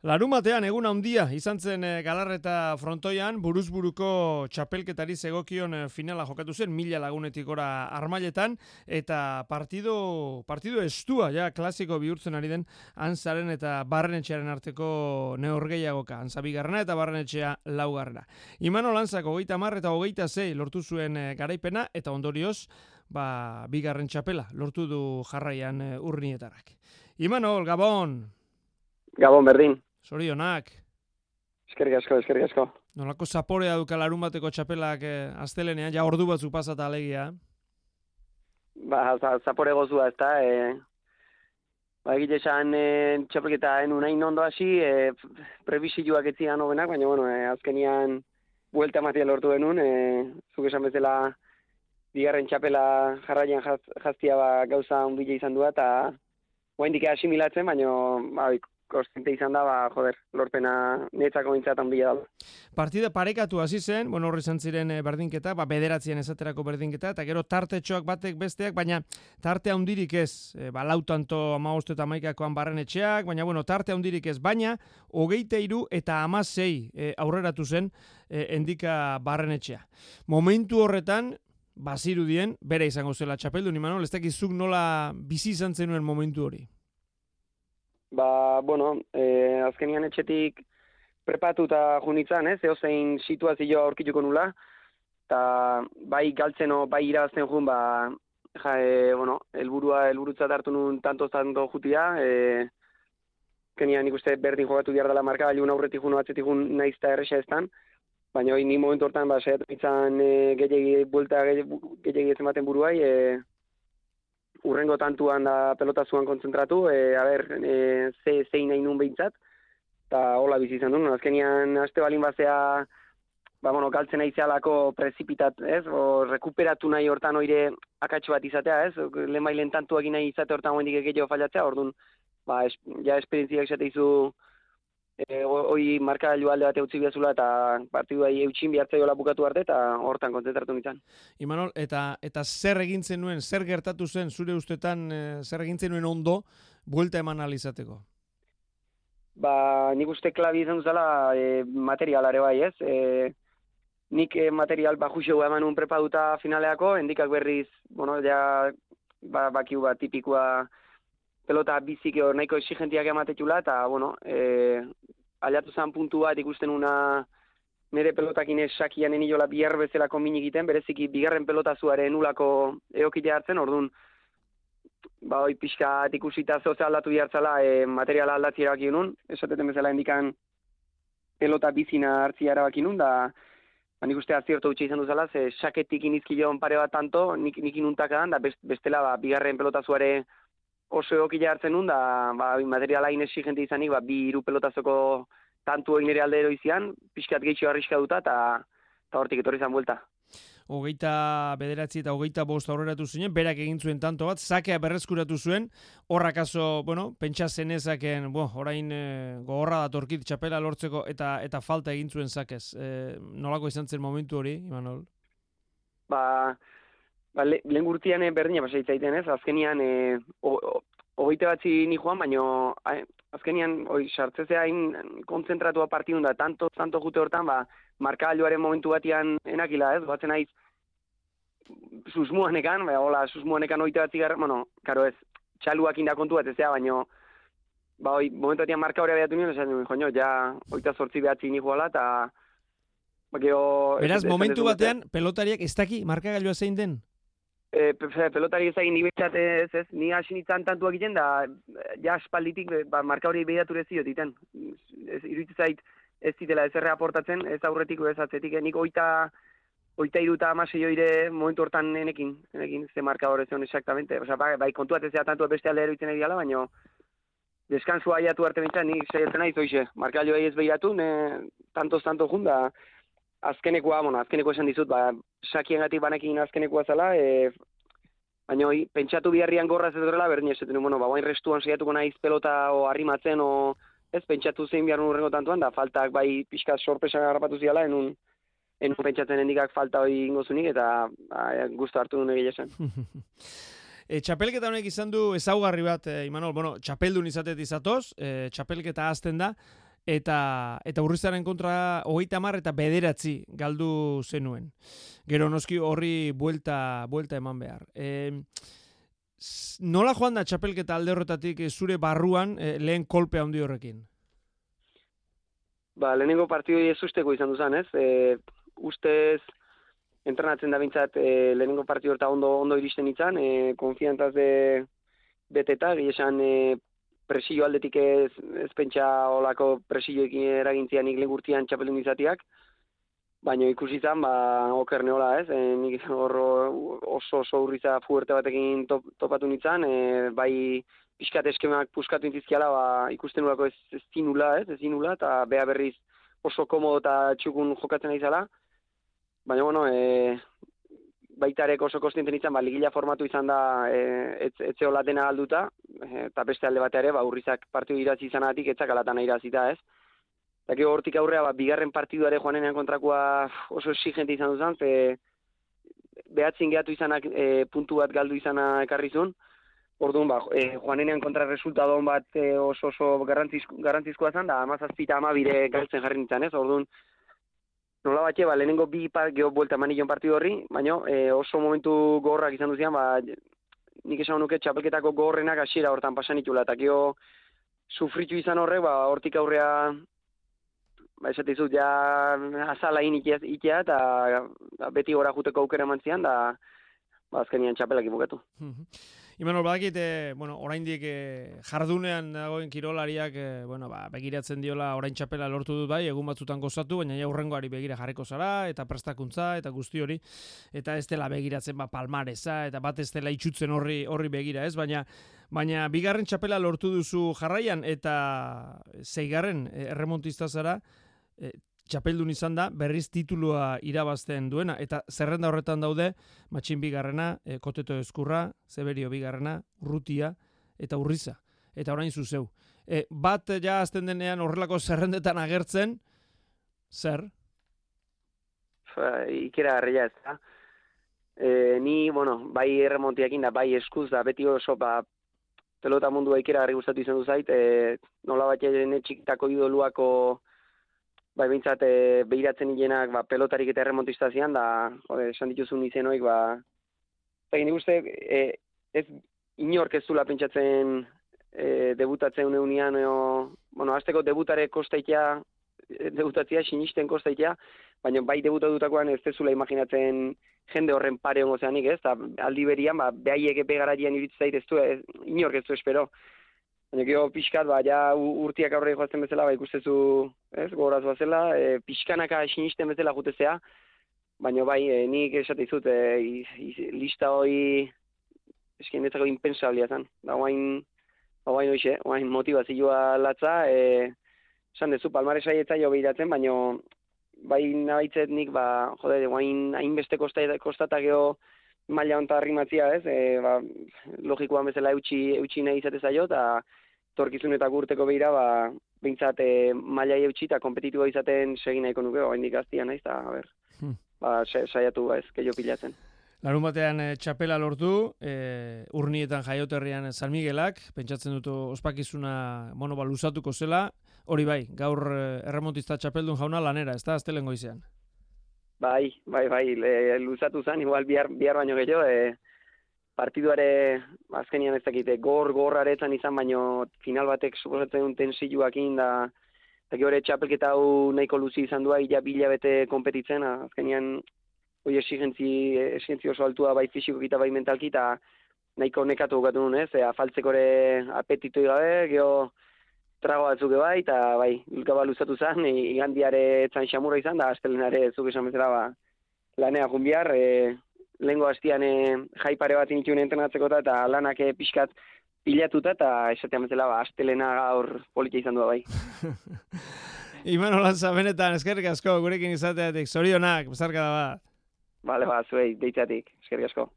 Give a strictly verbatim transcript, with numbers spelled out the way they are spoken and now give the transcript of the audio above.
Larumatean egun handia izan zen Galarreta frontoian, buruzburuko txapelketari zegokion finala jokatu zen, mila lagunetik gora Armailetan, eta partido, partido estua, ja, klasiko bihurtzen ari den, Antzaren eta Barrenetxearen arteko neorgeiagoka, Antza bigarrena eta Barrenetxea laugarrena. Imanol Antzak hogeita hamar eta hogeita sei lortu zuen garaipena, eta ondorioz, ba, bigarren txapela lortu du jarraian Urnietarrak. Imanol, Gabon! Gabon, berdin. Zorionak. Eskerrik asko, eskerrik asko. Nolako zaporea duka larun bateko txapelak eh, astelenean, ja ordu batzu pasata alegia. Ba, zapore gozua, ez da. E, ba, egite esan e, txapelketa enunain ondo hasi, e, prebizioak etzian hobenak, baina, bueno, e, azkenian buelta matia lortu denun, e, zuk esan bezala bigarren txapela jarraian jaz, jaztia ba, gauza ondile izan du, eta oraindik asimilatzen, baina, ba, konstante izan da, ba, joder, lorpena netzako bintzatan bila da. Partida parekatu hasi zen, bueno, horri izan ziren berdinketa, ba, bederatzien esaterako berdinketa, eta gero tartetxoak batek besteak, baina tarte handirik ez, e, ba, lautanto hamabost eta hamaikakoan Barrenetxeak, baina, bueno, tarte handirik ez, baina, hogeita hiru eta hamasei e, aurreratu zen e, endika Barrenetxea. Momentu horretan, bazirudien, bere izango zela txapeldun, Imanol, ez dakizuk nola bizi izan zenuen momentu hori? Ba, bueno, eh, azkenian etxetik prepatuta junitzan, ez, eozein situazioa aurkituko nula, eta bai galtzeno, bai irabazten jun, ba, ja, e, bueno, elburua, elburutzat hartu nun tanto-tanto jutia, e, kenian nik uste berdin jogatu behar dela marka, aliun aurretik jun, atzetik jun naizta erresa estan, baina hori ni momentu hortan, ba, saiatu nintzen e, gehiagi, buelta gehiagi ez ematen buruai, e, urrengo tantuan da pelota zuan kontzentratu, e, a ber, e, ze, zein nahi nun behintzat, eta hola bizi izan duen. Azkenian, aste balin bazea, ba, bueno, galtzen aizealako prezipitat, ez? O, rekuperatu nahi hortan oire akatxo bat izatea, ez? Lehen bailen tantuak nahi izate hortan hoendik egeio fallatzea, orduan, ba, es, ja esperientziak esate izu, e, hoi markagailu alde bate utzi behazula, eta partidua eutxin bihartzaiola bukatu arte, eta hortan kontzentratu nintzen. Imanol, eta eta zer egintzen nuen, zer gertatu zen, zure ustetan, e, zer egintzen nuen ondo, buelta eman alizateko? Ba, nik uste klabi izan duzala e, materialare bai, ez? E, nik e, material bajuxeu eman un prepaduta finaleako, endikak berriz, bueno, ja, ba, bakiu bat tipikoa pelota bizik hor nahiko exigentiak ematetxula, eta, bueno, e, aliatu zen puntu bat ikusten una nire pelotakin esakian enilola bihar bezalako minik egiten, bereziki bigarren pelota zuaren ulako eokite hartzen, orduan, ba, hoi pixka ikusita zoze aldatu bihartzala, e, materiala aldatzi erabaki nun, esateten bezala indikan pelota bizina hartzi erabaki nun, da, ba, nik uste azierto utxe izan duzala, ze saketik inizkilion pare bat tanto, nik, nik inuntakadan, da bestela, ba, bigarren pelota zuare oso eokile hartzen nun, da, ba, materiala inesigente izanik, ba, bi hiru pelotazoko tantu egin ere alde eroizian, pixkat gehiago arriska duta, eta hortik etorri izan buelta. Hogeita bederatzi eta hogeita bost aurreratu zuen, berak egin zuen tanto bat, sakea berreskuratu zuen, horrakaso, bueno, pentsa zenezaken, bo, orain e, gogorra datorkit txapela lortzeko, eta eta falta egin zuen sakez. E, nolako izan zen momentu hori, Imanol? Ba, ba le, lehen gurtian berdina pasaitzaiten ez, azkenian e, hogeita batzi ni joan, baina azkenian oi, sartzezea hain kontzentratua partidun da, tanto, tanto jute hortan, ba, markagailuaren momentu batian enakila ez, batzen naiz susmuanekan, ba, hola, susmuanekan oita batzi gara, bueno, karo ez, txaluak inda kontu bat ezea, baina ba, oi, momentu batian marka hori abiatu nien, esan nuen, joño, ja, oita sortzi behatzi ni joala, eta ba, geho... Beraz, ez, momentu ez, batean, ez, pelotariak ez daki markagailua zein den? E, pelotari ezagin ni betxat ez, ez, ni hasin itzan tantuak egiten, da, ja, espalditik, ba, marka hori behiatu ez ziot iten. Iruditzen zait, ez zitela ez erre aportatzen, ez aurretik, ez atzetik, nik oita, oita iruta amasei joire momentu hortan enekin, enekin, ze marka hori zion exactamente. Osa, bai, bai kontuat ez da tantua beste alde eroitzen egiala, baina deskansua aiatu arte bintzen, nik saiatzen nahi zoize, marka joa ez behiratu, ne, tantos-tanto junda, azkenekoa, bueno, azkeneko esan dizut, ba, sakiengatik banekin azkenekoa zela, e, baina hoi, pentsatu biharrian gorra ez edorela, berdin esaten, bueno, ba, bain restuan saiatuko naiz pelota o arrimatzen, o, ez, pentsatu zein behar nurrengo tantuan, da, faltak bai pixka sorpresan harrapatu ziala, enun, enun pentsatzen endikak falta hoi ingozunik, eta ba, gustu hartu duen egile zen. E, txapelketa honek izan du ezaugarri bat, e, Imanol, bueno, txapeldun izatet izatoz, e, txapelketa azten da, eta eta Urrizaren kontra hogeita hamar eta bederatzi galdu zenuen. Gero noski horri buelta, buelta eman behar. E, nola joan da txapelketa alde horretatik zure barruan e, lehen kolpe handi horrekin? Ba, lehenengo partidoi ez usteko izan duzan, ez? E, ustez, entrenatzen da bintzat, e, lehenengo partidu horta ondo, ondo iristen izan, e, konfiantaz de beteta, giesan e, presillo aldetik ez, ez pentsa olako presilloekin eragintzian nik legurtian txapeldun izatiak, baina ikusi izan, ba, oker neola, ez? E, nik horro oso oso urriza fuerte batekin top, topatu nintzen, e, bai pixkat eskemak puskatu intizkiala, ba, ikusten nulako ez, ez zinula, ez, ez zinula, eta beha berriz oso komodo eta txukun jokatzen aizala. Baina, bueno, e, baitarek oso kostienten izan, ba, ligila formatu izan da, e, ez, etzeola dena galduta, e, eta beste alde bat ere, ba, Urrizak partidu irazi izanatik, etzak alatan irazita, ez. Eta gero hortik aurrea, ba, bigarren partiduare joanenean kontrakoa oso exigente izan duzan, ze behatzin gehatu izanak e, puntu bat galdu izana ekarrizun. Orduan, ba, e, joanenean kontra resultadon bat e, oso oso garrantzizko, garrantzizkoa zen, da amazazpita ama bire galtzen jarri nintzen, ez? Orduan, nola batxe, ba, lehenengo bi par, geho buelta manillon partidu horri, baina e, oso momentu gogorrak izan duzian, ba, nik esan nuke txapelketako gogorrenak hasiera hortan pasan itula, eta geho sufritu izan horrek, ba, hortik aurrea, ba, esate izut, ja, azala in ikia, ikia eta ba, beti gora juteko aukera mantzian, da, ba, azkenian txapelak ibukatu. Imanol, badakit, e, bueno, oraindik e, jardunean dagoen kirolariak e, bueno, ba, begiratzen diola orain txapela lortu dut bai, egun batzutan gozatu, baina ja hurrengoari begira jarriko zara, eta prestakuntza, eta guzti hori, eta ez dela begiratzen ba, palmareza, eta bat ez dela itxutzen horri, horri begira, ez? Baina, baina bigarren txapela lortu duzu jarraian, eta zeigarren e, erremontista zara, e, txapeldun izan da, berriz titulua irabazten duena, eta zerrenda horretan daude, Matxin bigarrena, e, Koteto Ezkurra, Zeberio bigarrena, Urrutia, eta Urriza, eta orain zuzeu. E, bat ja azten denean horrelako zerrendetan agertzen, zer? Fa, ikera garria ez da. E, ni, bueno, bai erremontiakin da, bai eskuz da, beti oso, ba, pelota mundua ikera garri gustatu izan du zait, e, nola bat jene txikitako idoluako, bai, bintzat, e, behiratzen hilenak, ba, pelotarik eta erremontista zian, da, jode, esan dituzun izenoik, ba, eta gini guzti, e, ez inork ez zula pentsatzen e, debutatzen unian, o, bueno, azteko debutare kostaitea, debutatzea, sinisten kostaitea, baina bai debutatutakoan ez zula imaginatzen jende horren pare hongo zeanik, ez, eta aldi berian, ba, behaiek epe garatian iritzait ez du, ez, inork ez du espero. Baina gero pixkat, ba, ja urtiak aurre joazten bezala, ba, ikustezu, ez, gogoraz bazela, e, pixkanaka sinisten bezala jutezea, baina bai, e, nik esate izut, e, lista hoi, esken netzako impensablia zen. Da, oain, oain hoxe, oain motivazioa latza, e, esan dezu, palmaresai etza jo behiratzen, baina bai nabaitzet nik, ba, jode, oain hainbeste kostata geho, maila honta arrimatzia, ez, e, ba, logikoan bezala eutxi, eutxi nahi izatez aio, eta torkizun eta gurteko behira, ba, behintzat e, maila eutxi eta kompetitiboa izaten segin nahiko nuke, ba, indik aztia nahiz, eta, a ber, hmm. ba, saiatu, ba, ez, keio pilatzen. Larun batean e, txapela lortu, e, urnietan jaioterrian San Miguelak, pentsatzen dut ospakizuna, bueno, ba, luzatuko zela, hori bai, gaur e, erremontista txapeldun jauna lanera, ez da, aztelengo izan. Bai, bai, bai, le, luzatu zen, igual bihar, bihar baino gehiago, e, partiduare azkenian ez dakite, gor, gorraretzan izan, baino final batek suposatzen duen tensioakin, da, eta gehore txapelketa hau nahiko luzi izan dua, ila bila bete kompetitzen, azkenian hoi esigentzi, esigentzi oso altua bai fisiko eta bai mentalki, eta nahiko nekatu gogatu nuen, ez, e, afaltzekore apetitoi gabe, geho, trago batzuk bai, eta bai, gaba luzatu zen, igandiare etzan xamurra izan, da astelenare zuk esan bezala, ba, lanea junbiar, e, lehengo hastian e, jai pare bat inituen entrenatzeko eta lanak e, pixkat pilatuta, eta esatean bezala, ba, astelena gaur politia izan du bai. Imanol Lantza, benetan, eskerrik asko, gurekin izateatik, zorionak, bezarka da bat. Bale, ba, zuei, deitzatik, eskerrik asko.